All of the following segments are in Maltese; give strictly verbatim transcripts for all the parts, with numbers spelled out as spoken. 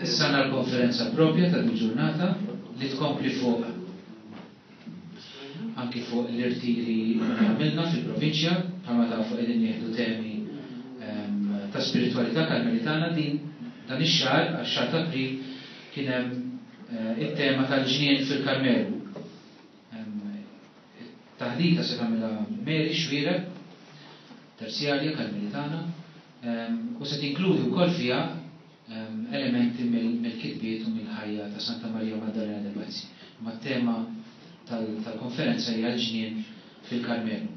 Issa għandna l-konferenza propja ta' din ġurnata li tkompli fuq anki fuq l-irtiri li għamilna fil-provinċja, bħalma tafu qegħdin nieħdu temi ehm, ta' spiritwalità karmelitana. Din dan ix-xahar, għax-xahar ta' April, kien hemm eh, it-tema tal-ġnien fil-Karmelu. Ehm, Taħdita se tagħmilha Mary Xuereb, terzjarja karmelitana, ehm, u se tinkludi wkoll fiha elementi mill-kitbiet u mill-ħajja ta' Santa Maria Maddalena de Pazzi. Ma tema tal-konferenza hija l-ġnien fil-Karmelu.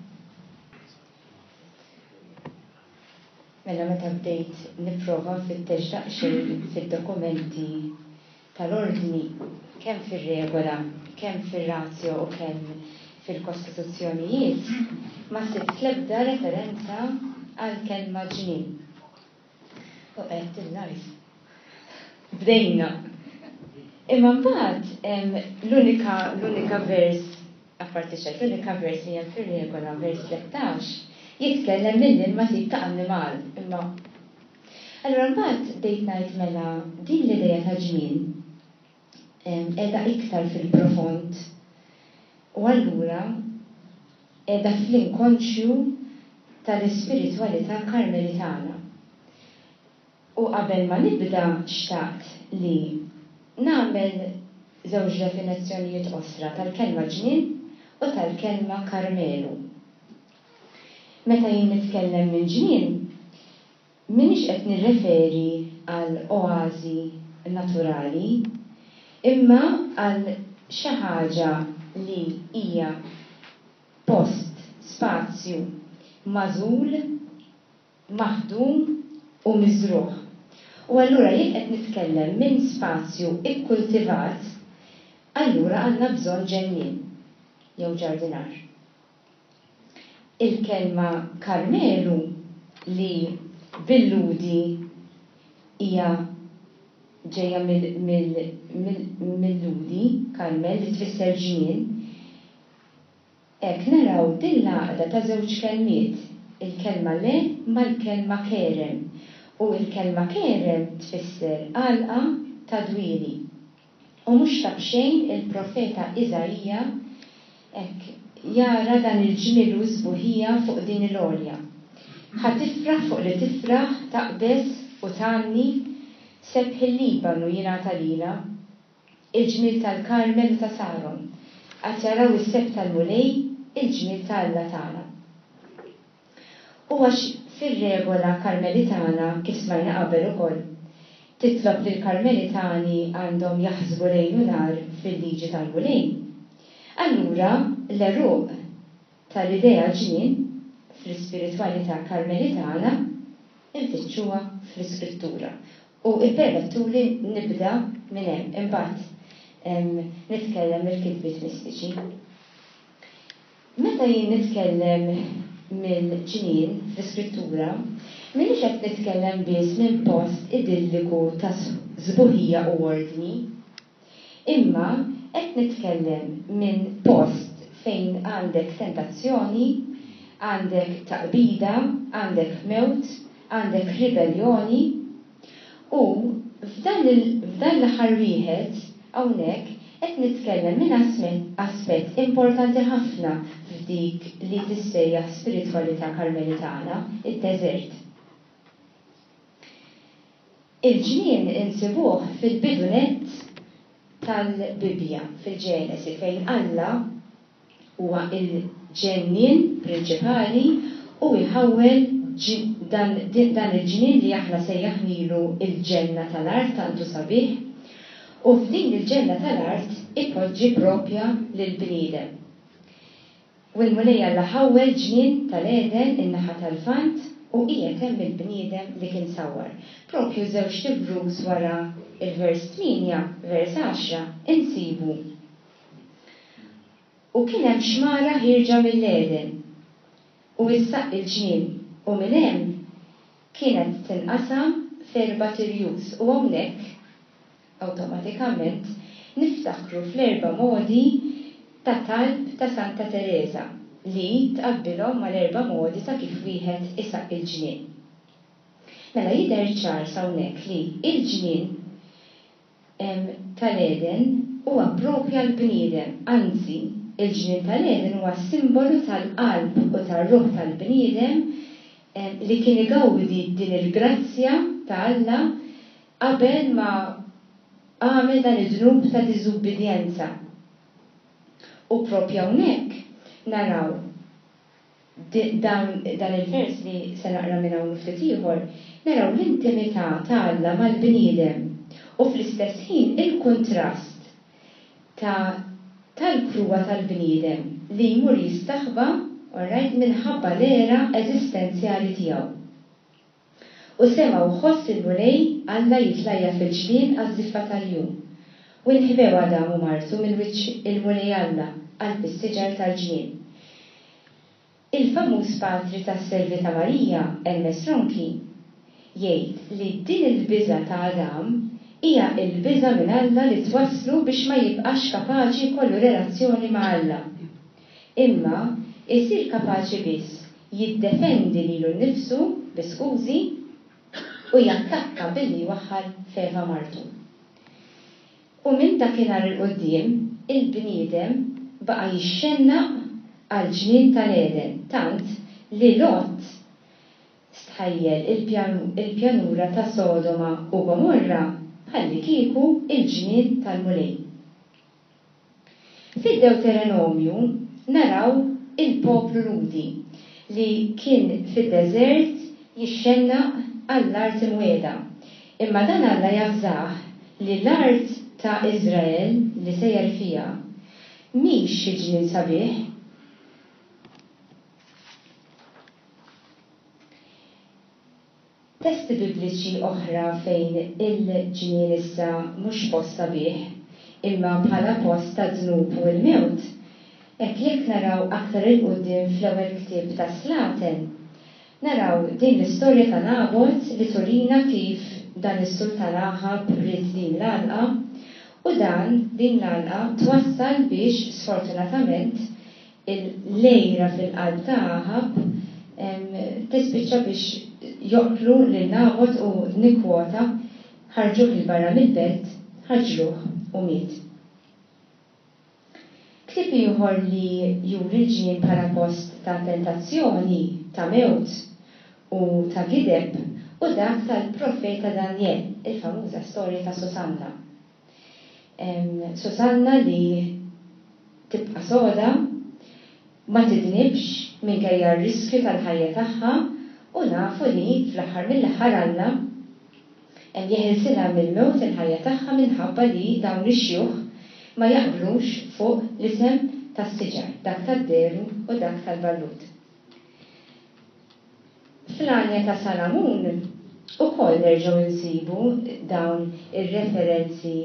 Mela meta bdejt nipprova nfittex daqsxejn fid-dokumenti tal-ordni, kemm fir-regola, kemm fir-ratio u kemm fil-kostituzzjonijiet, ma sibt l-ebda referenza għal kelma ġnien. U għedt il-life. Bdejna. Imma mbagħad l-unika l-unika vers, apparti ċert, l-unika vers li hemm fir-regola, vers tlettax, jitkellem mill-ilma tip ta' annimal. Imma allura mbagħad bdejt ngħid mela din l-idea ta' ġnien qiegħda iktar fil-profond u allura qiegħda fl-inkonxju tal-ispiritwalità karmelitana. U qabel ma nibda xtaqt li nagħmel żewġ definizzjonijiet qosra tal-kelma ġnien u tal-kelma Karmelu. Meta jien nitkellem minn ġnien, m'iniex qed nirreferi għal oażi naturali, imma għal xi ħaġa li hija post, spazju magħżul, maħdum u miżrugħ. U allura jekk qed nitkellem minn spazju ikkultivat, allura għandna bżonn ġennien jew ġardinar. Il-kelma Karmelu, li bil-Lhudi hija ġejja mill-Lhudi, Karmel, li tfisser ġnien, hekk naraw din l-għaqda ta' żewġ kelmiet, il-kelma le mal-kelma kerem, u l-kelma kerem tfisser għalqa ta' dwieli. U mhux ta' b'xejn il-profeta Iżaija hekk jara dan il-ġmiel u s-sbuħija fuq din il-għolja. Ħa tifraħ fuq li tifraħ, taqbeż u tgħanni, sebħ il-Libanu jingħata lilha, il-ġmiel tal-Karmel u ta' Saron, għad jaraw is-sebħ tal-Mulej, il-ġmiel ta' Alla tagħna. U għax fir-regola karmelitana, kif smajna qabel ukoll, titlob li l-karmelitani għandhom jaħsbu lejl u nhar fil-liġi tal-Mulej, allura l-għeruq tal-idea ġnien fl-ispiritwalità karmelitana nfittxuha fl-Iskrittura. U ippermettuli nibda minn hemm, imbagħad nitkellem mill-kitbiet mistiċi. Meta jien nitkellem mill-ġnien fl-Iskrittura, m'iniex qed nitkellem biss minn post idilliku ta' sbuħija u ordni, imma qed nitkellem minn post fejn għandek tentazzjoni, għandek taqbida, għandek mewt, għandek ribellioni, u f'dan l-aħħar wieħed hawnhekk qed nitkellem minn aspett importanti ħafna f'dik li tissejjaħ spiritwalità karmelitana, id-deżert. Il-ġnien insibuh fil-bidu nett tal-Bibbja, fil-Ġenesi, fejn Alla huwa il-ġennien prinċipali u jħawwel dan, dan il-ġnien li aħna sejjaħnilu il-ġenna tal-art tantu sabiħ, u f'din il-ġenna tal-art ipoġġi propja lill-bniedem. U l-Mulej Alla ħawwel ġnien tal-Eden in-naħa tal-Lvant u qiegħed hemm il-bniedem li kien sawwar. Propju żewġ tibrus wara il-vers tmienja, vers għaxra, insibu. U kien hemm xmara ħierġa mill-Eden u issaq il-ġnien, u minn hemm kienet tinqasam f'erba' tirjus, u hawnhekk awtomatikament niftakru fl-erba' modi ta' talb ta' Santa Teresa li tqabbilhom mal-erba' modi ta' kif wieħed isaq il-ġnien. Mela jidher ċar s'hawnhekk li il-ġnien tal-Eden huwa propja l-bniedem, anzi, il-ġnien tal-Eden huwa simbolu tal-qalb u tar-ruħ tal-bniedem li kien igawdi din il-grazzja ta' Alla qabel ma għamel dan id-dnub ta' diżubbidjenza. U propja hawnhekk naraw dan, dan il-vers li se naqra minn hawn ftit ieħor, naraw l-intimità ta' Alla mal-bniedem u fl-istess ħin il-kuntrast ta' tal-kruha tal-bniedem li jmur jistaħba, alright, minħabba l-għera eżistenzjali tiegħu. U semgħu ħoss il-Mulej Alla jitlajja fil-ġnien għaż-żiffa tal-jum. U nħbew Adam u martu minn wiċċ il-Mulej Alla qalb is-siġar tal-ġnien. Il-famuż patri tas-Servi ta' Marija, Ermes Ronchi, jgħid li din il-biża' ta' Adam hija l-biża' minn Alla li twasslu biex ma jibqax kapaċi jkollu relazzjoni ma' Alla. Imma jsir kapaċi biss jiddefendi lilu nnifsu bi skużi u jattakka billi jwaħħal f'Eva martu. U minn dakinhar 'il quddiem il-bniedem baqa' jixxennaq għall-ġnien tal-Eden, tant li Lot stħajjel il-pjanura ta' Sodoma u Gomorra bħallikieku il-ġnien tal-Mulej. Fid-Dewterenomju naraw il-poplu Lhudi li kien fid-deżert jixxennaq għall-art imwiegħda. Imma dan Alla javżah li l-art ta' Iżrael li sejjer fiha mhix xi ġnien sabiħ. Testi bibliċi oħra fejn il-ġnien issa mhux post sabiħ, imma bħala post ta' dnub u l-mewt, hekk jekk naraw aktar 'il quddiem fl-ewwel ktieb ta' Slaten, naraw din l-istorja ta' Nabot li turina kif dan is-sultan Aħab ried din l-għalqa, u dan din l-għalqa twassal biex sfortunatament il-lejra fil-qalb ta' Aħab tispiċċa biex joqtlu lil Nabot u nikkwota ħarġuh 'il barra mill-belt, ħaġruh u miet. Ktieb ieħor li juri l-ġnien bħala post ta' tentazzjoni, ta' mewt u ta' gideb u dak tal-profeta Daniel, il-famuża storja ta' Susanna. Susanna li tibqa' soda, ma tidnibx minkejja r-riskju tal-ħajja tagħha, u nafu li fl-aħħar mill-aħħar Alla jeħilsilha mill-mewt il-ħajja tagħha minħabba li dawn ix-xjuħ ma jaqblux fuq l-isem tas-siġar, dak tad-deru u dak tal-ballut. Fl-għanja ta' Salamun ukoll nerġgħu nsibu dawn ir-referenzi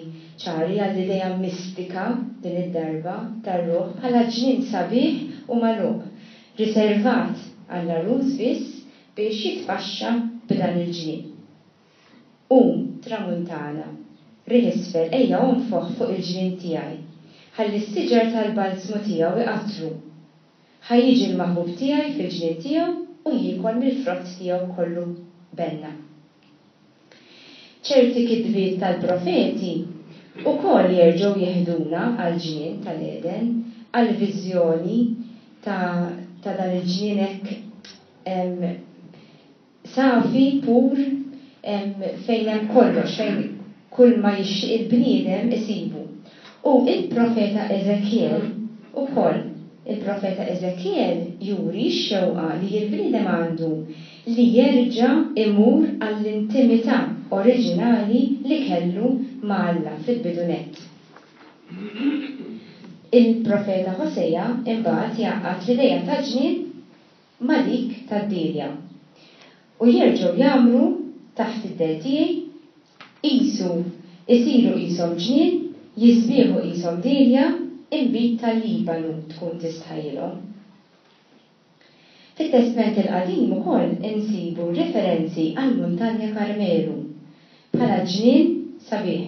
ċari għall-idea mistika din id-darba tar-ruħ bħala ġnien sabiħ u magħluq, riservat għall-għarus biss biex jitpaxxa b'dan il-ġnien. Qum, tramuntana, riħ isfel, ejja onfoħ fuq il-ġnien tiegħi, ħalli s-siġar tal-balzmu tiegħu iqattru. Ħa jiġi l-maħbub tiegħi fil-ġnien tiegħu u jiekol mill-frott tiegħu kollu benna. Ċerti kitbiet tal-profeti ukoll jerġgħu jeħduna għall-ġnien tal-Eden, għall-viżjoni ta', ta' dan il-ġnien hekk safi, pur, fejn hemm kollox, fejn kull ma jixtieq il-bniedem isibu. U il-profeta Ezekiel ukoll, il-profeta Ezekiel juri x-xewqa li l-bniedem għandu li jerġa' imur għall-intimità oriġinali li kellu ma' Alla fil-bidu nett. Il-profeta Hosea imbagħad jgħaqqad l-idea ta' ġnien ma' dik tad-dielja u jerġgħu jagħmlu taħt id-del tiegħi, qisu isiru qishom ġnien, jisbieħu qishom dielja, inbid tal-Libanu tkun tistħajjilhom. Fit-Testment il-Qadim ukoll insibu referenzi għall-Muntanja Karmelu bħala ġnien sabiħ,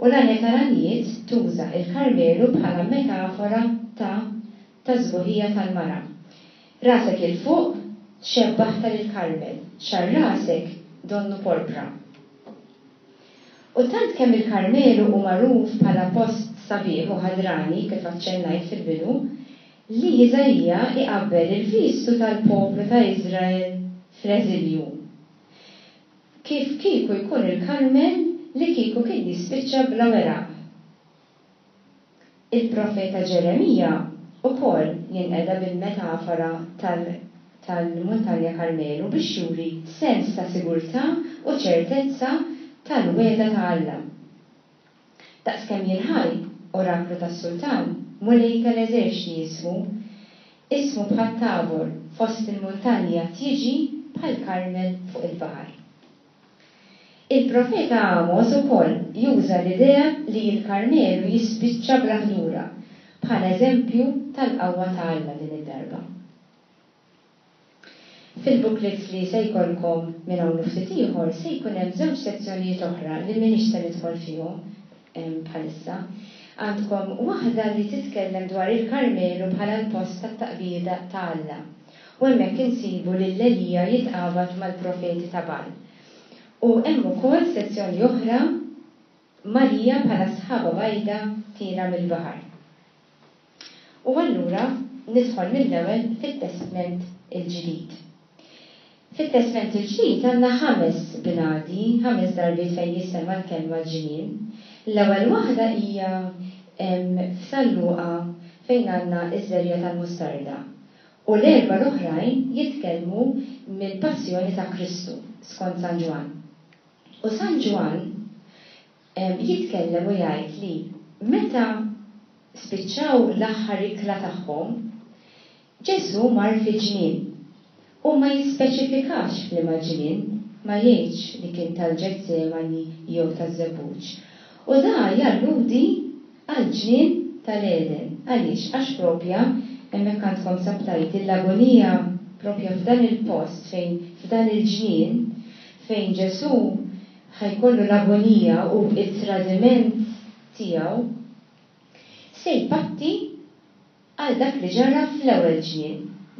u l-għanja tal-għanjiet tuża il-Karmelu bħala metafora ta' ta' sbuħija tal-mara. Rasek il fuq xebbaħta lil Karmel, xar rasek donnu porpra. U tant kemm il-Karmelu hu magħruf bħala post sabiħ u ħadrani kif aċċennajt fil-bidu, li Iżaija iqabbel il-vistu tal-poplu ta' Iżrael fl-eżilju. Kif kieku jkun il-Karmel li kieku kien jispiċċa bla weraq. Il-profeta Ġeremija ukoll jinqeda bil-metafora tal-Muntanja Karmelu biex juri sens ta' sigurtà u ċertezza tal-wegħda ta' Alla. Daqskemm jien ħaj, oraklu tas-sultan, Mulej tal-eżerċti jismu, ismu bħat-Tabor fost il-muntanja tiġi bħal Karmel fuq il-baħar. Il-profeta Amos ukoll juża l-idea li l-Karmelu jispiċċa bla ħdura bħala eżempju tal-qawwa ta' Alla din id-darba. Fil-booklets li se jkollkom minn hawn ftit ieħor se jkun hemm żewġ sezzjonijiet oħra li m'iniex se nidħol fihom bħalissa. Għandkom waħda li titkellem dwar il-Karmelu bħala l-post tat-taqbida ta' Alla. U hemmhekk insibu lil Elija jitqabad mal-profeti ta' Baal. U hemm ukoll sezzjoni oħra Marija bħala sħaba bajda tiela mill-baħar. U allura nidħol mill-ewwel fit-Testment il-Ġdid. Fit-Testment il-Ġdid għandna ħames binadi, ħames darbiet fejn jissemma l-kelma ġnien. L-ewwel waħda hija f'San Luqa fejn għandna iż-żerja tal-mustarda. U l-erba' l-oħrajn jitkellmu mill-passjoni ta' Kristu skont San Ġwann. U San Ġwann jitkellem u jgħid li meta spiċċaw l-aħħar ikla tagħhom, Ġesù mar fi ġnien. U ma jispeċifikax f'liema ġnien, ma jgħidx li kien tal-Ġetsemani jew taż-Żebbuġ. U da jalludi għal-ġnien tal-Eden. Għaliex? Għax propja hemmhekk għandkom sabtajt l-agonija propja f'dan il-post fejn f'dan il-ġnien fejn Ġesù ħajkollu l-agonija u il-tradiment tiegħu se jpatti għal dak li ġara fl-ewwel ġnien,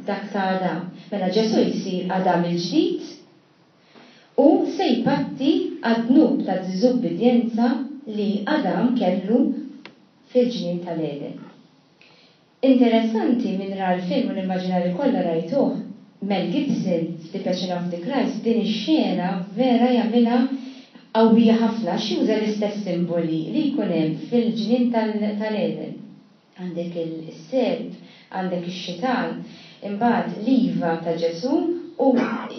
dak ta' Adam. Mela Ġesù jsir Adam il-ġdid u se jpatti għad-dnub ta' diżubbidjenza li Adam kellu fil-ġnien tal-Eden. Interessanti minn ra l-film u nimmaġina li kollha rajtuh, Mel Gibson f'The Passion of the Christ din ix-xena vera jagħmilha qawwija ħafna għax juża l-istess simboli li jkun hemm fil-ġnien tal-Eden. Għandek il-serp, għandek ix-xitan, imbagħad l-iva ta' Ġesù u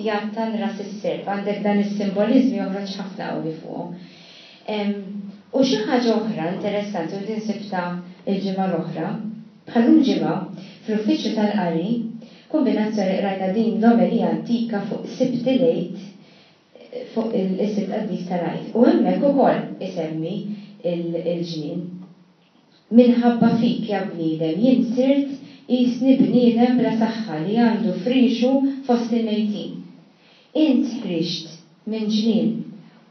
jattan ras is-serp. Għandek dan is-simboliżmi joħroġ ħafna qawwi fuqhom. U xi ħaġa oħra interessanti u din sibta l-ġimgħa l-oħra, bħalum ġimgħa fl-uffiċċju tal-qari, kombinazzjoni qrajna din l-omelija antika fuq Sibt il-Għid, fuq il-Sibt Qaddis tal-Għid. U hemmhekk ukoll isemmi il-ġnien. Minħabba fik ja bniedem jien sirt qisni bniedem bla saħħa li għandu frixu fost il-mejtin. Int ħriġt minn ġnien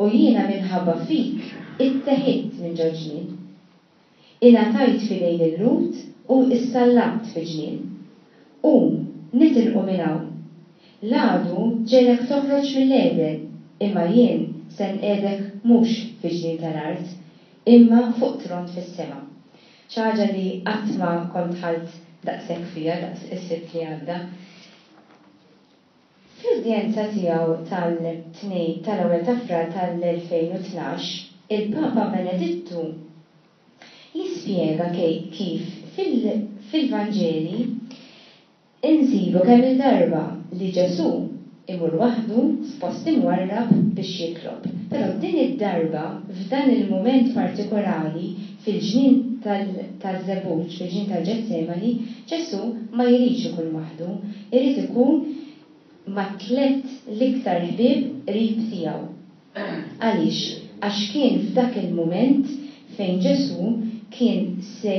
u jiena minħabba fik itteħidt minn ġo ġnien. Ingħatajt f'idejn il-Lut u issallabt fi ġnien. Qum, nitilqu minn hawn. L-għadu ġelek toħroġ mill-Eden, imma jien se nqiegħdek mhux fi ġnien tal-art, imma fuq tron fis-sema. Xi ħaġa li qatt ma kont ħalt daqshekk fiha daqs is-Sibt li għadda. Fl-udjenza tiegħu tal-tnejn tal-ewwel ta' Frar tal-elfejn u tnax, il-Papa Benedittu jispjega kif fil-Vanġeli insibu kemm il-darba li Ġesù imur waħdu f'post imwarrab biex jitlob. Però din id-darba f'dan il-mument partikolari fil-ġnien tal-Żebbuġ, fil-ġnien tal-Ġetsemani, Ġesù ma jridx ikun waħdu, irid ikun ma' tliet l-iktar ħbieb qrib tiegħu. Għaliex? Għax kien f'dak il-mument fejn Ġesù kien se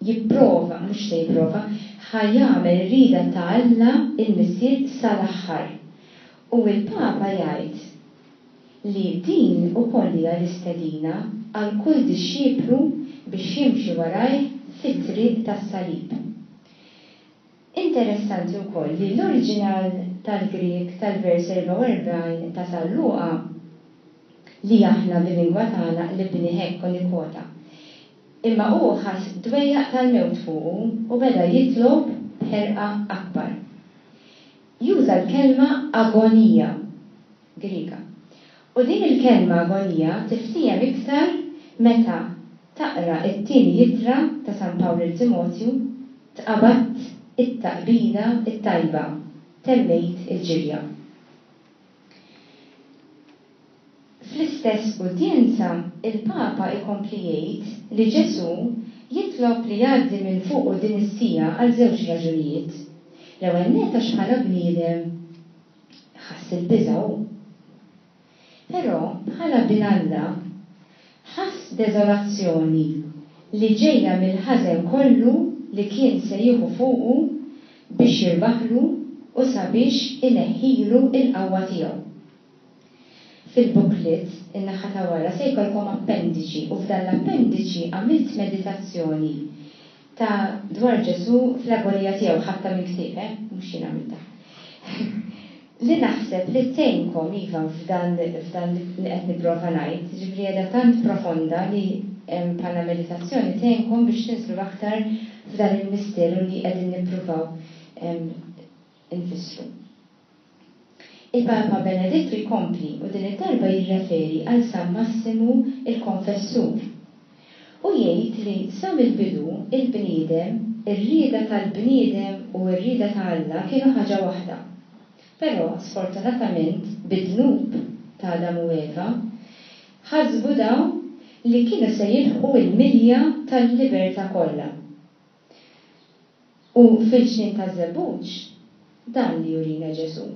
jipprova, mhux se jipprova, ħa jagħmel ir-rida ta' Alla il-Missier sal-aħħar. U l-Papa jgħid li din ukoll hija l-istedina għal kull dixxiplu biex jimxi warajh fit-triq tas-salib. Interessanti wkoll li l-oriġinal tal-Grieg tal-vers erbgħa u erbgħin ta' San Luqa li aħna bil-lingwa tagħna qlibnieh hekk u nikkwota. Imma hu ħass dwejjaq tal-mewt fuqu u beda jitlob b'ħerqa akbar. Juża l-kelma agonija Griega. U din il-kelma agonija tiftiehem iktar meta taqra t-tieni ittra ta' San Pawl lil Timotju, Tqabadt it-taqbida t-tajba, temmejt il-ġirja. Fl-istess udjenza, il-Papa jkompli jgħid li Ġesù jitlob li jgħaddi minn fuqu din is-siegħa għal żewġ raġunijiet. L-ewwel nett għax bħala bniedem ħass il-biża' hu. Però bħala Bin Alla ħass deżolazzjoni li ġejja mill-ħażen kollu li kien se jieħu fuqu biex jirbaħlu u sabiex ineħħilu l-qawwa tiegħu. Fil-booklet, in-naħa ta' wara, se jkollkom appendiċi u f'dan l-appendiċi għamilt meditazzjoni ta' dwar Ġesù fl-agonija tiegħu, ħadtha minn ktieb, eh, mhux jien għamiltha. Li naħseb li tgħinkom, iva, f'dan f'dan li qed nipprova ngħid, jiġifieri qiegħda tant profonda li bħala meditazzjoni tgħinkom biex tinżlu aktar f'dan il-misteru li qegħdin nippruvaw infissru. Il-Papa Benedittu jkompli u din id-darba jirreferi għal San Massimu il-Konfessur u jgħid li sa mill-bidu il-bniedem, ir-rieda tal-bniedem u r-rieda ta' Alla kienu ħaġa waħda. Però sfortunatament bid-dnub ta' Adam u Eva ħasbu dawn li kienu se jilħqu l-milja tal-libertà kollha. U fil-ġnien taż-żebbuġ dan li jurina Ġesù.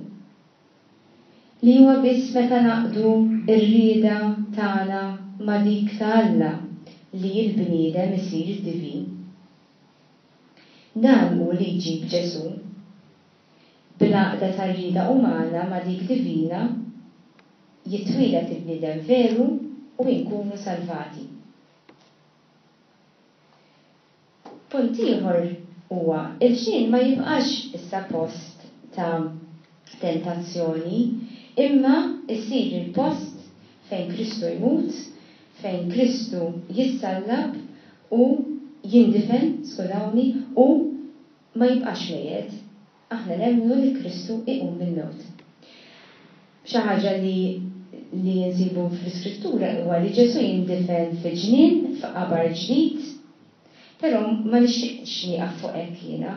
Li huwa biss meta ngħaqqdu r-rieda tagħna ma' dik ta' Alla li l-bniedem isir divin. Dan hu li jġib Ġesù. Bl-għaqda tar-rieda umana ma' dik divina jitwieled il-bniedem veru u inkunu salvati. Punt ieħor huwa, il-ġnien ma jibqax issa post ta' tentazzjoni, imma jsir il-post fejn Kristu jmut, fejn Kristu jissallab u jindifen, skużawni, u ma jibqax mejjet. Aħna nemmnu li Kristu iqum mill-mewt. Xi ħaġa li li nsibu fl-Iskrittura huwa li Ġesù jindifen fi ġnien, f'qabar ġdid, però ma nixtieqx nieqaf fuq hekk jiena.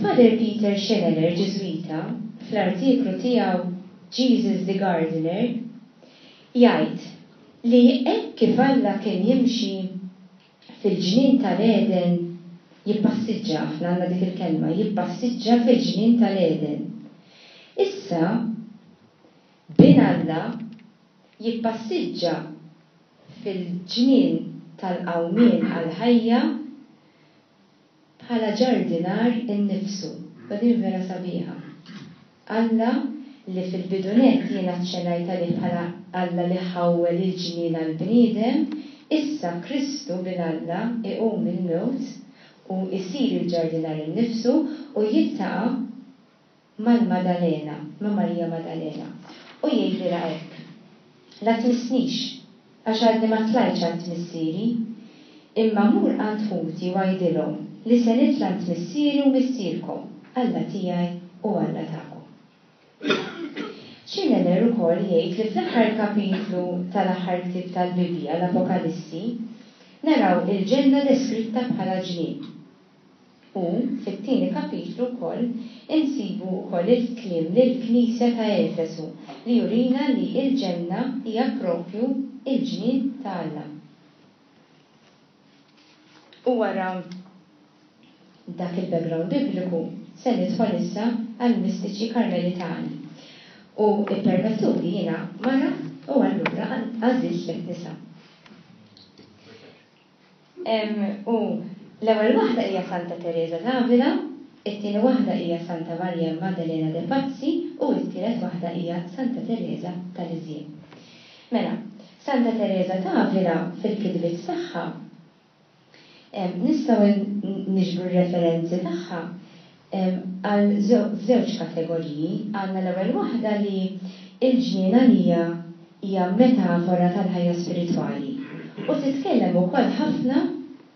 Father Peter Scheneler, Ġiżwita, fl-artiklu tiegħu Jesus the Gardener, jgħid li hekk kif Alla kien jimxi fil-ġnien tal-Għeden, jippassiġġa, aħna għandna dik il-kelma, jippassiġġa fil-ġnien tal-Għeden. Issa, Bin Alla jippassiġġa fil-ġnien tal-qawmien għall-ħajja bħala ġardinar innifsu. U din vera sabiħa. Alla li fil-bidu nett jien aċċenajt għalih bħala Alla li ħawwel il-ġnien għall-bniedem, issa Kristu Bin Alla iqum mill-mewt u jsir il-ġardinar innifsu u jiltaqa' mal-Madalena, ma' Marija Madalena, u jgħidilha hekk, La tmissnix, għax għadni ma tlajtx għand Missieri, imma mur għand ħuti u għidilhom li se nitla' għand Missieri u Missierkom, Alla tiegħi u Alla tagħkom. Schillener ukoll jgħid li fl-aħħar kapitlu tal-aħħar ktieb tal-Bibbja, l-Apokalissi, naraw il-ġenna deskritta bħala ġnien. U, fit-tieni kapitlu wkoll, insibu wkoll il-kliem lill-knisja ta' Efesu li jurina li l-ġenna hija proprju l-ġnien ta' Alla. U wara dak il-background bibliku, se nidħol issa għall-mistiċi Karmelitani. U ippermettuli jiena mara u allura għażilt tliet nisa. U l-ewwel waħda hija Santa Tereża d'Avila, it-tieni waħda hija Santa Maria Maddalena de Pazzi u t-tielet waħda hija Santa Tereża ta' Lisieux. Mela, Santa Tereża d'Avila fil-kitbiet tagħha nistgħu niġbru r-referenzi tagħha għal f'żewġ kategoriji. Għandna l-ewwel waħda li l-ġnien għalija Hija metafora tal-ħajja spiritwali u titkellem ukoll ħafna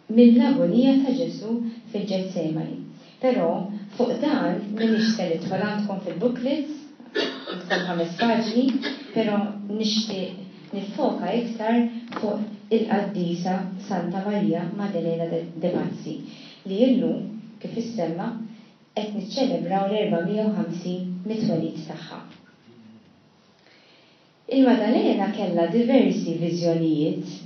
mill-agonija ta' Ġesù fil-Ġetsemani. Però fuq dan m'iniex se nidħol, għandkom fil-booklets, għandkom ħames paġni, però nixtieq niffoka iktar fuq il-qaddisa Santa Maria Maddalena de Pazzi li illum, kif issemma, qed niċċelebraw l-erba' mija u ħamsin mit-twelid tagħha. Il-Maddalena kellha diversi viżjonijiet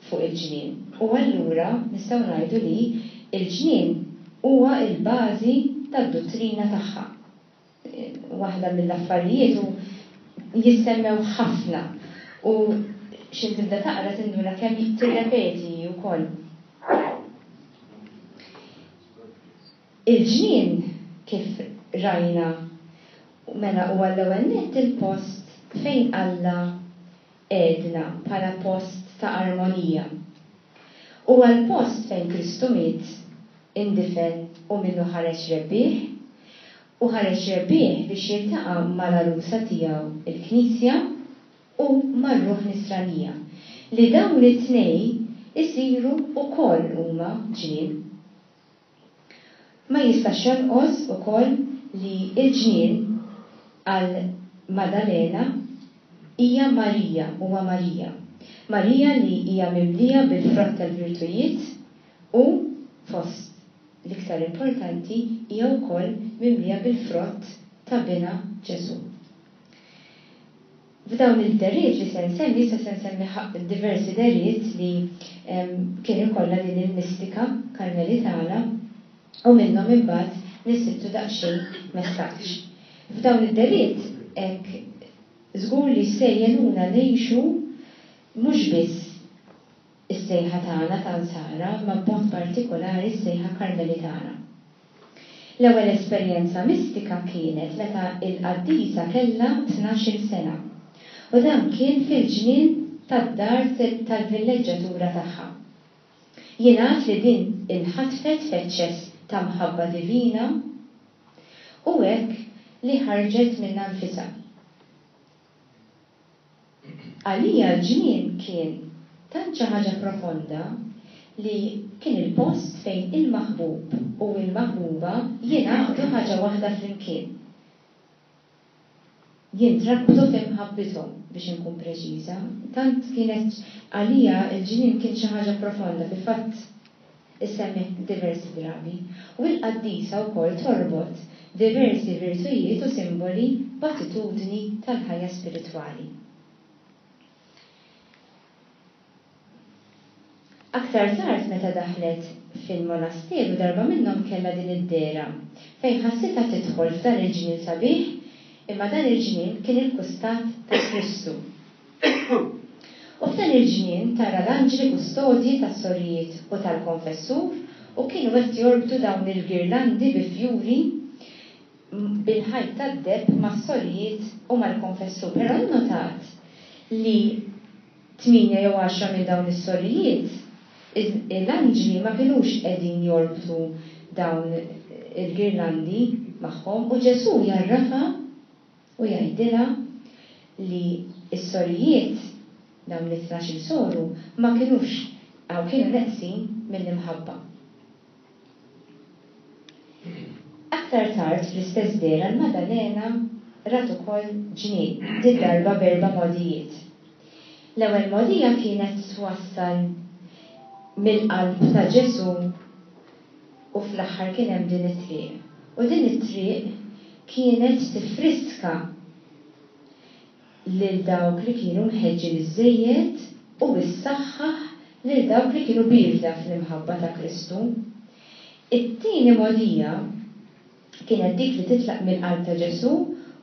fuq il-ġnien u allura nistgħu ngħidu li l-ġnien huwa l-bażi tad-duttrina tagħha. Waħda mill-affarijiet u jissemmew ħafna u x'in tibda taqra tinduna kemm tirrepeti wkoll. Il-ġnien kif rajna mela huwa l-ewwel nett il-post fejn Alla għedna bħala post ta' armonija. Huwa l-post fejn Kristu miet, indifen u minnu ħareġ rebbieħ, u ħareġ rebbieħ biex jiltaqa' mal-għarusa tiegħu il-Knisja u mar-ruħ nisranija, li dawn it-tnej isiru wkoll huma ġnien. Ma jistax jonqos ukoll li l-ġnien għal Maddalena hija Marija, huwa Marija. Marija li hija mimlija bil-frott tal-virtujiet u fost l-iktar importanti hija wkoll mimlija bil-frott ta' binha Ġesù. F'dawn il-deriet li se nsemmi, issa se nsemmi diversi deriet li, em, kien ikollha din il-mistika karmelitana u minnhom imbagħad nisibtu daqsxejn messaġġ. F'dawn id-deriet hekk żgur li se jgħinuna ngħixu mhux biss is-sejħa tagħna ta' Nsara, ma b'mod partikolari s-sejħa karmelitana. L-ewwel esperjenza mistika kienet meta l-qaddisa kellha tnax-il sena u dan kien fil-ġnien tad-dar tal-villeġġatura tagħha. Jingħad li din inħatfet f'eċċess ta' mħabba divina u hekk li ħarġet minnha nfisha. Għalija l-ġnien kien tant xi ħaġa profonda li kien il-post fejn il-maħbub u l-maħbuba jingħaqdu ħaġa waħda flimkien. Jintrabtu f'imħabbithom, biex inkun preċiża. Tant kienet għalija l-ġnien kien xi ħaġa profonda, fil-fatt issemmi diversi drabi. U l-qaddisa wkoll torbot diversi virtujiet u simboli b'attitudni tal-ħajja spiritwali. Aktar tard meta daħlet fil-monasteru darba minnhom kellha din id-dehra fejn ħassitha tidħol f'dan il-ġnien sabiħ, imma dan il-ġnien kien il-kustat ta' Kristu. U f'dan il-ġnien tara l-anġli kustodji tas-sorijiet u tal-konfessur u kienu qed jorbtu dawn il-girlandi bi fjuri bil-ħajt tad-deheb mas-sorijiet u mal-konfessur. Però nnotat li tmienja jew għaxra minn dawn is-sorijiet l-anġli ma kinux qegħdin jorbtu dawn il-girlandi magħhom u Ġesù jarrafa u jgħidilha li s-sorijiet dawn it-tnax-il soru ma kinux għaw kienu neqsin mill-imħabba. Aktar tard fl-istess dehra l-Maddalena rat ukoll ġnien, din darba b'erba' mogħdijiet. L-ewwel mogħdija kienet twassal mill-qalb ta' Ġesù u fl-aħħar kien hemm din it-triq. U din it-triq kienet tifriska lil dawk li kienu mħeġġin iżżejjed u issaħħaħ lil dawk li kienu bierda fl-imħabba ta' Kristu. It-tieni mogħdija kienet dik li titlaq mill-qalb ta' Ġesù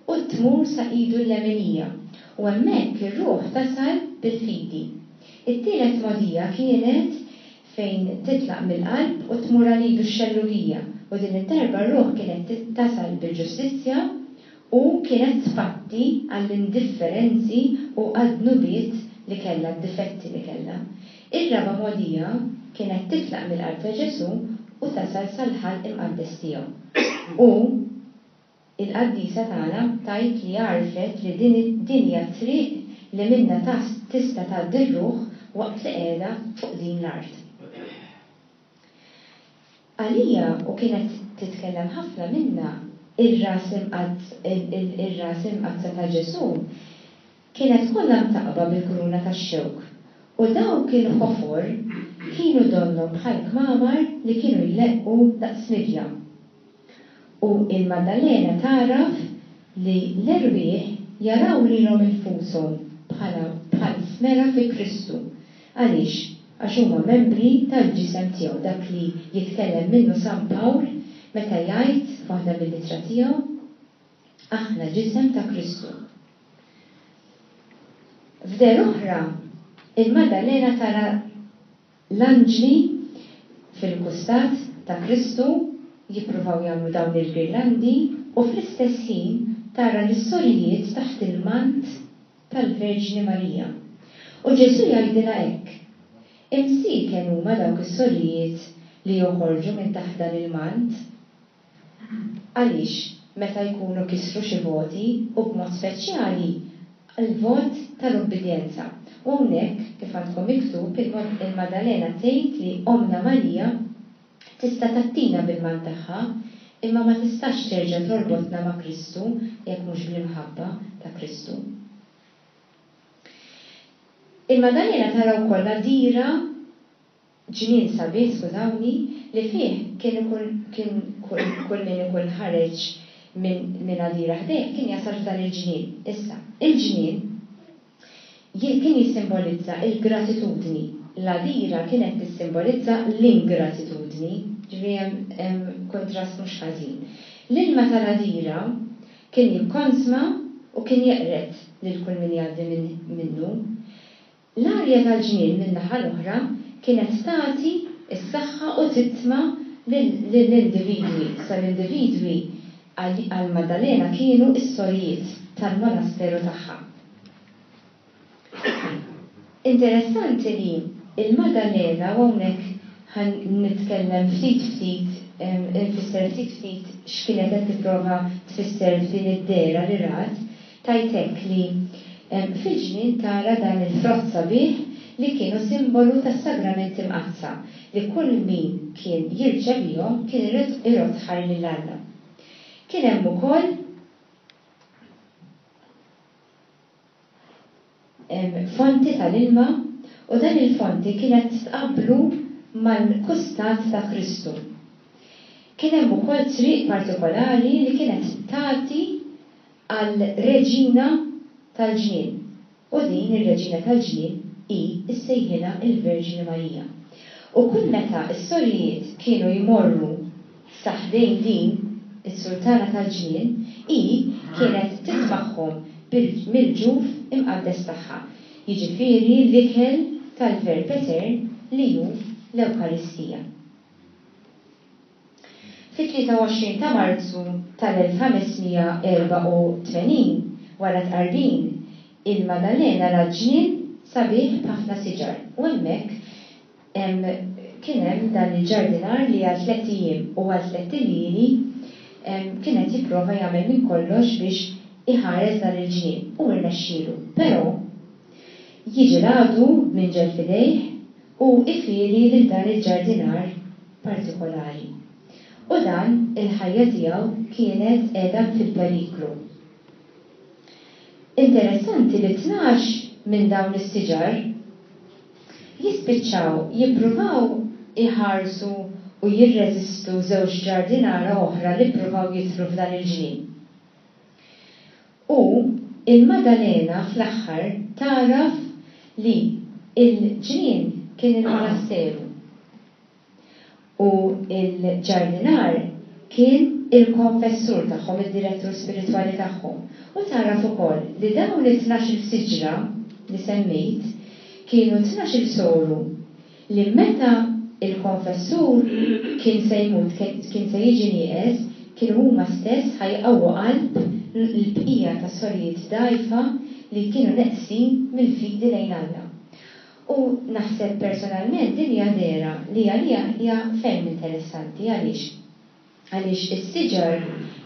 u tmur sa idu l-leminija u hemmhekk ir-ruħ tasal bil-fidi. It-tielet mogħdija kienet fejn titlaq mill-qalb u tmur għal idu x-xellugija u din id-darba r-ruħ kienet tasal bil-ġustizzja u kienet tpatti għall-indifferenzi u għad-dnubiet li kellha, d-difetti li kellha. Ir-raba' mogħdija kienet titlaq mill-qalb ta' Ġesù u tasal sal-ħalq imqaddes tiegħu. U il-qaddisa tagħna tgħid li għarfet li din, din hija triq li minnha tista' tgħaddi r-ruħ waqt li qiegħda fuq din l-art. Għalija, u kienet titkellem ħafna minnha, ir-ras ir-ras imqaddsa ta' Ġesù kienet kollha mtaqqba bil-kuruna tax-xewk u dawk il-ħofor kienu donnhom bħal kmamar li kienu jleqqu daqs midja. U il-Maddalena tagħraf li l-erwieħ jaraw lilhom infushom bħala bħal smera fi Kristu. Għaliex? Għax huma membri tal-ġisem tiegħu, dak li jitkellem minnu San Pawl meta jgħid f'waħda mill-ittra tiegħu, aħna ġisem ta' Kristu. F'dehra oħra, il-Maddalena tara l-anġli fil-kustat ta' Kristu jippruvaw jagħmlu dawn il-girlandi u fl-istess ħin tara l-sorijiet taħt il-mant tal-Verġni Marija. U Ġesù jgħidilha hekk: Imsieken huma dawk is-sorijiet li joħorġu minn taħt dan il-mant. Għaliex meta jkunu kisru xi voti u b'mod speċjali l-vot tal-ubbidjenza. U hawnhekk, kif għandkom miktub, il-Maddalena tgħid li Omna Marija tista' tgħattina bil-mant tagħha, imma ma tistax terġa' torbotna ma' Kristu jekk mhux bl-imħabba ta' Kristu. Il-Maddalena tara wkoll għadira, ġnien sabiħ, skużawni, li fih kien ikun kien kull min ikun ħareġ minn min għadira ħdejh kien jasal f'dan il-ġnien. Issa, il-ġnien kien jissimbolizza il-gratitudni. L-għadira kienet tissimbolizza l-ingratitudni, ġifieri hemm kontrast mhux ħażin. L-ilma tal-għadira kien jikkonsma u kien jeqred lil kull min jgħaddi minnu. L-arja tal-ġnien min-naħa l-oħra kienet tagħti s-saħħa u titma' lill-individwi. Sa l-individwi għal Maddalena kienu s-sorijiet tal-monasteru tagħha. Interessanti li il-Maddalena, u hawnhekk ħa nitkellem ftit ftit, nfisser ftit ftit x'kienet qed tipprova tfisser f'din id-dehra li rat, tajtek li fil-ġnien tara dan il-frott sabiħ li kienu simbolu tas-sagramenti mqaddsa li kull min kien jirċevihom kien irodd ħajr lil Alla. Kien hemm ukoll fonti tal-ilma u dan il-fonti kienet tqablu mal-kustat ta' Kristu. Kien hemm ukoll triq partikolari li kienet tagħti għal reġina tal-ġnien. U din ir-reġina tal-ġnien hi ssejħilha il-Verġni Marija. U kull meta s-sorijiet kienu jmorru sa ħdejn din is-sultana tal-ġnien, hi kienet titmagħhom mill-ġuf imqaddes tagħha, jiġifieri l-ikel tal-Verb Etern li hu l-Ewkaristija. Fit-tlieta u għoxrin ta' Marzu tal-elf ħames mija erba' u tmenin, wara tqarbin, il-Maddalena rat ġnien sabiħ b'ħafna siġar u hemmhekk kien hemm dan il-ġardinar li għal tliet ijiem u għal tliet iljieli kien qed jipprova jagħmel minn kollox biex iħares dan il-ġnien u rnexxielu. Però jiġi l-għadu b'minġel f'idejh u ifieri lil dan il-ġardinar partikolari. U dan il-ħajja tiegħu kienet qiegħda fil-periklu. Interessanti li tnax minn dawn is-siġar jispiċċaw jippruvaw iħarsu u jirreżistu żewġ ġardinara oħra li ppruvaw jidħlu f'dan il-ġnien. U il-Maddalena fl-aħħar tagħraf li il-ġnien kien il-monasteru u il-ġardinar kien il-konfessur tagħhom, id-direttur spiritwali tagħhom. U tagħraf ukoll li dawn it-tnax-il siġra li semmejt kienu tnax-il soru li meta il-konfessur kien se jmut, kien se jiġi nieqes, kienu huma stess ħajqawwu qalb l-bqija ta' sorijiet dgħajfa li kienu neqsin mill-fidi lejn Alla. U naħseb personalment din hija dehra li għalija hija ferm interessanti. Għaliex? Għaliex is-siġar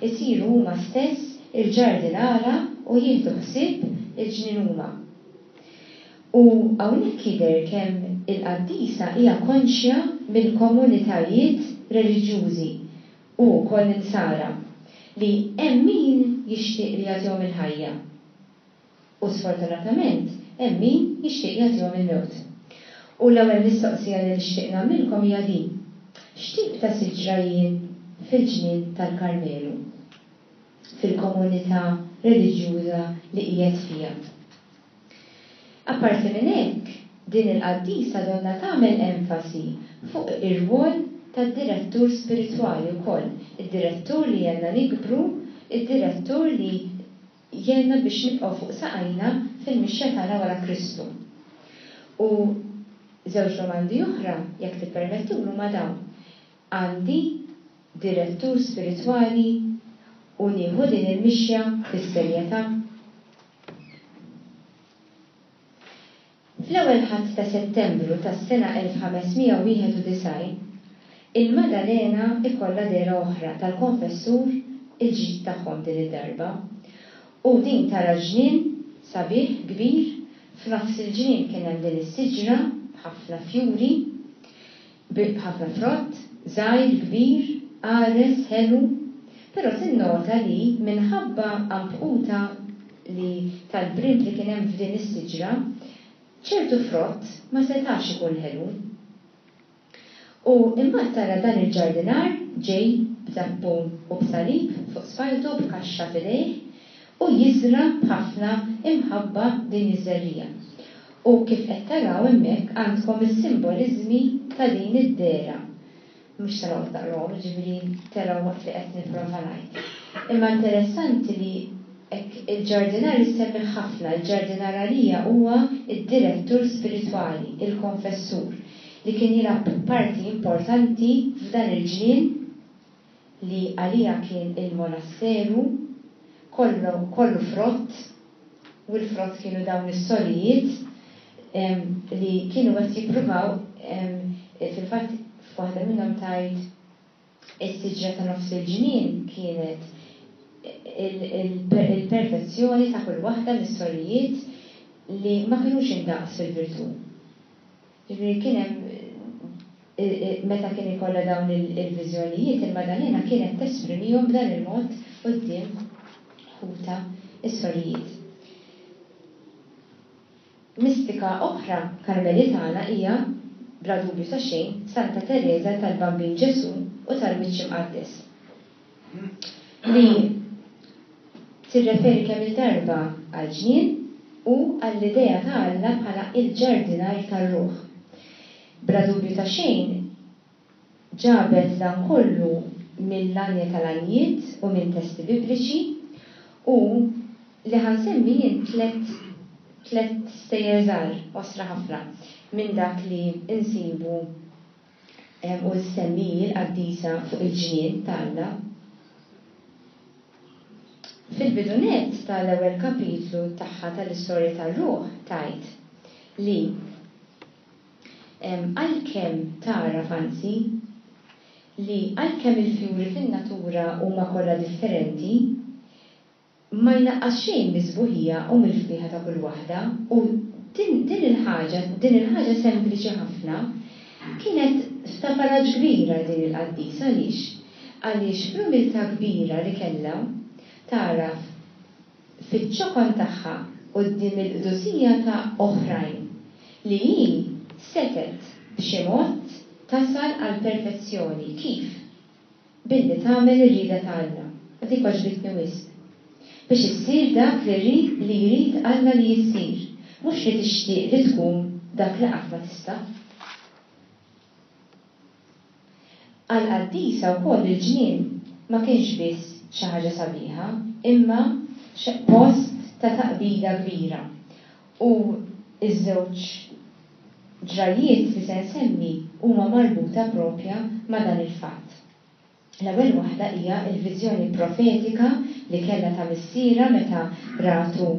isiru huma stess il-ġardinara u jieħdu ħsieb il-ġnien huma. U hawnhekk jidher kemm il-qaddisa hija konxja mill-komunitajiet reliġjużi u wkoll insara li hemm min jixtieq li jagħtihom il-ħajja. U sfortunatament hemm min jixtieq jagħtihom il-mewt. U l-ewwel mistoqsija li nixtieq nagħmilkom hija din. X'tip ta' siġra jien fil-ġnien tal-Karmelu? Fil-komunità reliġjuża li qiegħed fiha. Apparti minn hekk, din il-qaddisa donna tagħmel enfasi fuq ir-rwol tad-direttur spiritwali wkoll, id-direttur li jgħinna nikbru, id-direttur li jgħinna biex nibqgħu fuq saqajna fil-mixja tagħna wara Kristu. U żewġ domandi oħra, jekk tippermettulu ma dawn. Għandi direttur spiritwali u nieħu din il-mixja fis-serjetà? Fl-ewwel Ħadd ta' Settembru tas-sena elf ħames mija wieħed u disgħin, il-Madalena ikollha dehra oħra tal-konfessur il-ġdid tagħhom din id-darba. U din tara ġnien sabiħ kbir, f'nofs il-ġnien kien hemm din is-siġra b'ħafna fjuri, b'ħafna frott, żgħir, kbir, qares, ħelu, però tinnota li minħabba għanbquta li tal-brimb li kien hemm f'din is-siġra, ċertu frott ma setax ikun ħelu. U imbagħad tara dan il-ġardinar ġej b'zappun u b'salib fuq spalltu b'kaxxa f'idejh u jiżra' b'ħafna imħabba din iż-żerriegħa. U kif qed taraw hemmhekk għandkom is-simboliżmi ta' din id-dehra. Mhux se noqgħod naqrahom, jiġifieri taraw waqt li qed nipprova ngħid. Imma interessanti li hekk il-ġardinar issemmi ħafna, il-ġardinar għalija huwa d-direttur spiritwali, il-konfessur, li kien jilgħab parti importanti f'dan il-ġnien li għalija kien il-monasteru, kollu, kollu frott, u l-frott kienu dawn is-sorijiet li kienu qed jippruvaw, fil-fatt f'waħda minnhom tgħid is-siġra ta' nofs il-ġnien kienet il-perfezzjoni ta' kull waħda mis-sorijiet li ma kinux indaqs fil-virtù. Ġifieri kien hemm meta kien ikollha dawn il-viżjonijiet, il-Madalena kienet tesprimihom b'dan il-mod quddiem ħuta is-sorijiet. Mistika oħra karmelitana hija, bla dubju ta' xejn, Santa Teresa tal-Bambin Ġesù u tal-Wiċċ Imqaddes, li tirreferi kemm il-darba għall-ġnien u għall-idea ta' Alla bħala il-ġardinar tar-ruħ. Bla dubju ta' xejn, ġabet dan kollu mill-għanja tal-għanjiet u minn testi bibliċi, u li ħansemmi jien tlet, tlet stejjer żgħar qosra ħafna minn dak li insibu u ssemmi l-qaddisa fuq il-ġnien ta' Alla. Fil-bidu nett tal-ewwel kapitlu tagħha tal-istorja tar-ruħ tgħid li għalkemm tagħraf anzi li għalkemm il-fjuri fin-natura huma kollha differenti, ma jnaqqas xejn mis-sbuħija u mill-fwieħa ta' kull waħda, u din, din il-ħaġa, din il-ħaġa sempliċi ħafna kienet ta' faraġ kbira din il-qaddisa. Għaliex? Għaliex fl-umiltà kbira li kellha tagħraf fiċ-ċokon tagħha quddiem il-qdusija ta' oħrajn li hi setgħet b'xi mod tasal għall-perfezzjoni. Kif? Billi tagħmel ir-rieda ta' Alla. U dik għoġbitni wisq. Biex issir dak li jrid li jrid Alla li jissir, mhux li tixtieq li tkun dak li qatt ma tista'. Għall-qaddisa wkoll il-ġnien ma kienx biss xi ħaġa sabiħa, imma post ta' taqbida kbira. U iż-żewġ ġrajiet li se nsemmi huma marbuta propja ma' dan il-fatt. L-ewwel waħda hija l-viżjoni profetika li kellha ta' missierha meta ratu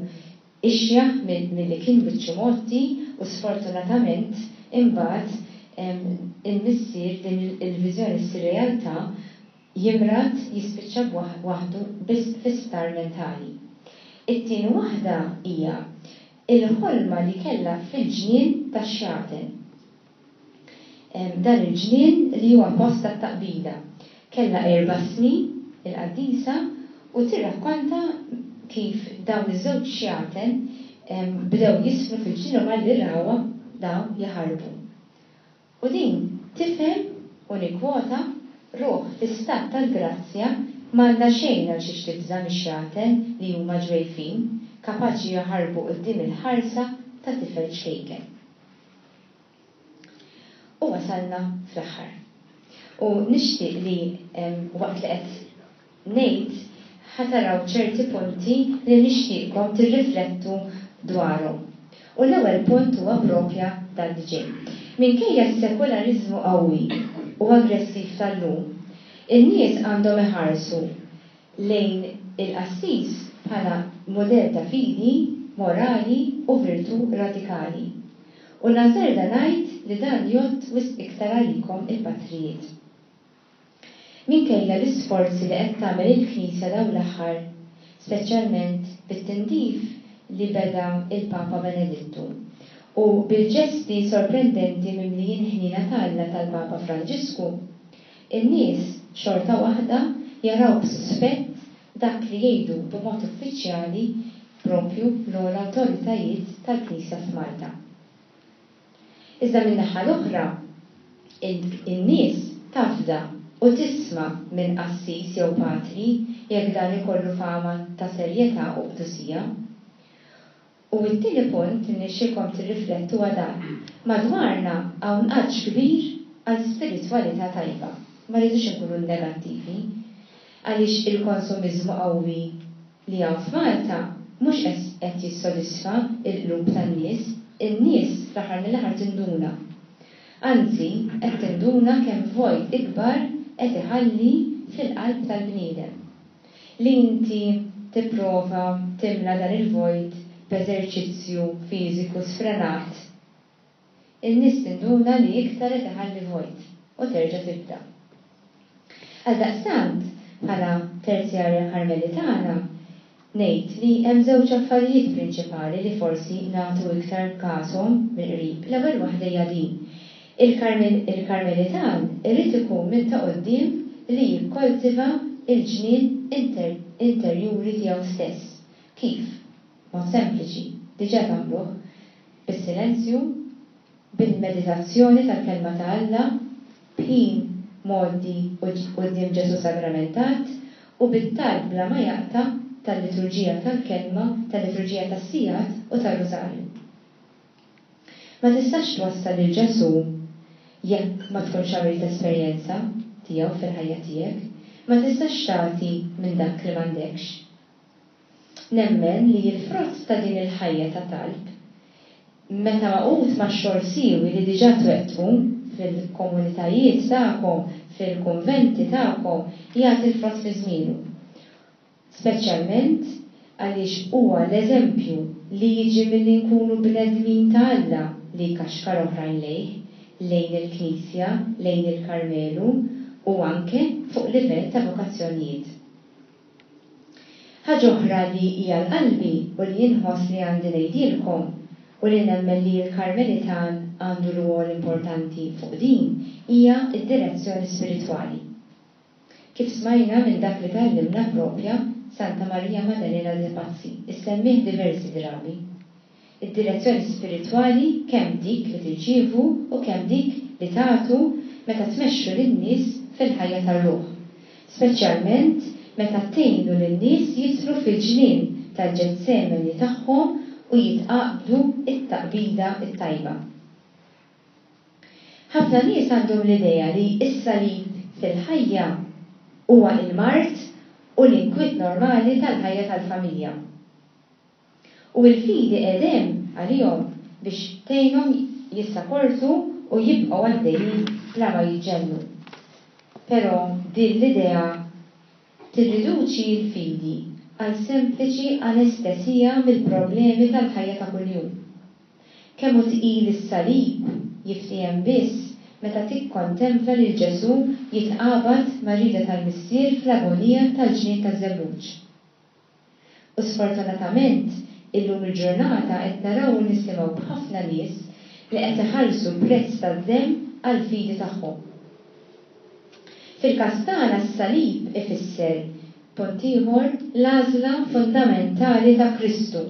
ixjaħ milli kien wiċċu mgħotti, u sfortunatament imbagħad il-missier din il-viżjoni ssir realtà, jimrad, jispiċċa waħdu biss fi sptar mentali. It-tieni waħda hija il-ħolma li kellha fil-ġnien tax-xjaten. Dan il-ġnien li huwa post tat-taqbida. Kellha erba' snin il-qaddisa u tirrakkonta kif dawn iż-żewġ xjaten bdew jisfnu fil-ġnien u malli rawha dawn jaħarbu. U din tifhem, u nikkwota, ruħ fi stat tal-grazzja m'għandha xejn għal xiex tibża' mix-xjaten li huma ġwejfin, kapaċi jaħarbu quddiem il-ħarsa ta' tifel ċkejken. U wasalna fl-aħħar. U nixtieq li waqt li qed ngħid ħa taraw ċerti punti li nixtieqkom tirriflettu dwarhom. U l-ewwel punt huwa propja dan li ġej. Minkejja s-sekulariżmu qawwi u aggressiv tal-lum, in-nies għandhom iħarsu lejn il-qassis bħala mudell ta' fidi, morali u virtù radikali. U nażerda ngħid li dan jgħodd wisq iktar għalikom il-patrijiet. Minkejja l-isforzi li qed tagħmel il-Knisja dawn l-aħħar, speċjalment bit-tindif li beda il-Papa Benedittu u bil-ġesti sorprendenti mimlijin ħnina ta' Alla tal-Papa Franġisku, in-nies xorta waħda jaraw b'suspett dak li jgħidu b'mod uffiċjali propju l-ogħla awtoritajiet tal-Knisja f'Malta. Iżda min-naħa l-oħra, in-nies tafda u tisma' minn qassis jew patri jekk dan ikollu fama ta' serjetà u qdusija. U t-tieni punt li nixtieqkom tirriflettu huwa dan. Madwarna hawn għatx kbir għal spiritwalità tajba. Ma rridux inkunu negattivi, għaliex il-konsumiżmu qawwi li hawn f'Malta mhux qed jissodisfa l-qlub tan-nies, in-nies fl-aħħar mill-aħħar tinduna. Anzi, qed tinduna kemm vojt ikbar qed iħalli fil-qalb tal-bniedem. Li inti tipprova timla dan il-vojt b'eżerċizzju fiżiku sfrenat, in-nies tinduna li iktar qed iħalli vojt u terġa' tibda. Għaldaqstant, bħala terzjarja Karmelitana, ngħid li hemm żewġ affarijiet prinċipali li forsi nagħtu iktar kashom mill-qrib. L-ewwel waħda hija din. Il-Karmelitan irid ikun minn ta' quddiem li jikkoltiva il-ġnien interjuri tiegħu stess. Kif? Mod sempliċi, diġà tagħmluh, bis-silenzju, bil-meditazzjoni tal-kelma ta' Alla, b'ħin mgħoddi quddiem Ġesù sagramentat u bit-talb bla ma jaqta' tal-liturġija tal-kelma, tal-liturġija tas-sigħat u tar-rużarju. Ma tistax twassal lil Ġesù jekk ma tkunx għamilt esperjenza tiegħu fil-ħajja tiegħek, ma tistax tagħti minn dak li m'għandekx. Nemmen li l-frott ta' din il-ħajja ta' talb, meta maqut ma' xogħol siewi li diġà twettqu fil-komunitajiet tagħkom, fil-kunventi tagħkom, jagħti l-frott fi żmienu. Speċjalment għaliex huwa l-eżempju li jiġi milli nkunu bnedmin ta' Alla li jkaxkar oħrajn lejh, lejn il-Knisja, lejn il-Karmelu u anke fuq livell ta' vokazzjonijiet. Ħaġa oħra li hija l-qalbi u li jinħoss li għandi ngħidilkom u li nemmen li l-Karmelitan għandu rwol importanti fuq din hija d-direzzjoni spiritwali. Kif smajna minn dak li tgħallimna propja Santa Maria Maddalena de Pazzi, issemmih diversi drabi. Id-direzzjoni spiritwali kemm dik li tirċievu u kemm dik li tagħtu meta tmexxu lin-nies fil-ħajja tar-ruħ. Speċjalment meta tgħinu lin-nies jidħlu fil-ġnien tal-Ġetsemani tagħhom u jitqabdu it-taqbida t-tajba. Ħafna nies għandhom l-idea li s-salib fil-ħajja huwa il-mard u l-inkwiet normali tal-ħajja tal-familja. U l-fidi qegħdem għalihom biex tgħinhom jissaportu u jibqgħu għaddejjin bla ma jiġġennu. Però din l-idea tirriduċi l-fidi għal sempliċi anestesija mill-problemi tal-ħajja ta' kuljum. Kemm hu tqil is-salib jiftiehem biss meta tikkontempla lil Ġesù jitqabad mar-rieda tal-Missier fl-agonija tal-ġnien taż-żebbuġ. U sfortunatament Illum il-ġurnata qed naraw u nisimgħu b'ħafna nies li qed iħallsu prezz tad-demm għall-fidi tagħhom. Fil-każ tagħna s-salib ifisser, punt ieħor, l-għażla fundamentali ta' Kristu,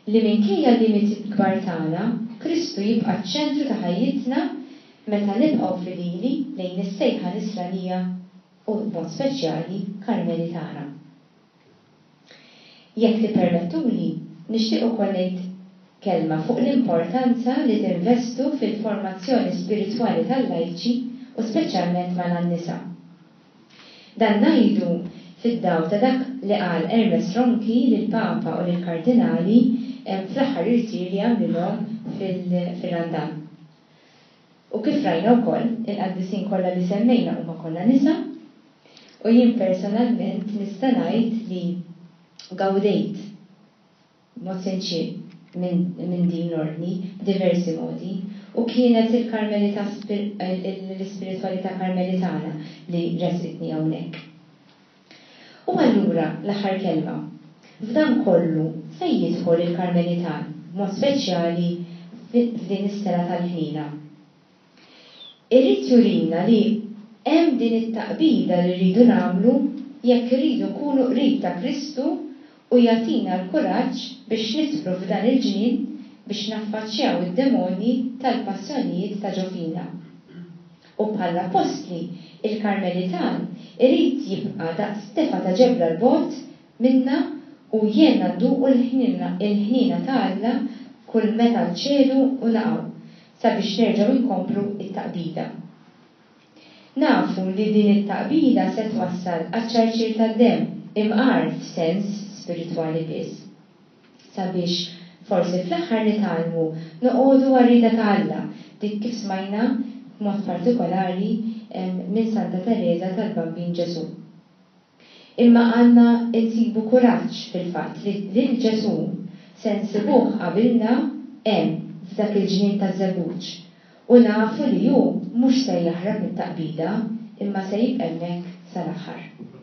li minkejja l-limiti kbar tagħna, Kristu jibqa' ċ-ċentru ta' ħajjitna meta nibqgħu fidili lejn is-sejħa nisranija u b'mod speċjali Karmelitana. Jekk tippermettuli, nixtieq ukoll ngħid kelma fuq l-importanza li tinvestu fil-formazzjoni spiritwali tal-lajċi u speċjalment mal-nisa. Dan ngħidu fid-dawl ta' dak li qal Ermes Ronchi lill-Papa u lill-Kardinali fl-aħħar irtir li għamlilhom fil-Randan. U kif rajna wkoll, il-qaddisin kollha li semmejna huma kollha nisa, u jien personalment nista' ngħid li gawdejt b'mod sinċier minn min din l-ordni b'diversi modi, u kienet il-Karmelita l-ispiritwalità karmelitana li resqitni hawnhekk. U allura l-aħħar kelma. F'dan kollu fejn jidħol il-Karmelitan, b'mod speċjali f'din is-sena tal-ħnina? Irrid jurina li hemm din it-taqbida li rridu nagħmlu jekk irridu nkunu qrib ta' Kristu, u jagħtina l-kuraġġ biex nidħlu f'dan il-ġnien biex naffaċċjaw id-demonji tal-passjonijiet ta' ġo fina. U bħall-appostli, il-Karmelitan irid jibqa' daqs tefa ta' ġebla 'l bogħod minna u jgħinna nduqu l-ħniena ta' Alla kull meta nċedu u naqgħu sabiex nerġgħu nkomplu t-taqbida. Nafu li din it-taqbida se twassal għaċ-ċarċir tad-demm, imqar f'sens spiritwali biss, sabiex forsi fl-aħħar nitgħallmu noqogħdu għar-rieda ta' Alla, dik kif smajna b'mod partikolari minn Santa Tereża tal-Bambin Ġesù. Imma għandna nsibu kuraġġ fil-fatt li lil Ġesù se nsibuh qabilna hemm f'dak il-ġnien taż-żebbuġ, u nafu li hu mhux se jaħrab mit-taqbida imma se jibqa' hemmhekk sal-aħħar.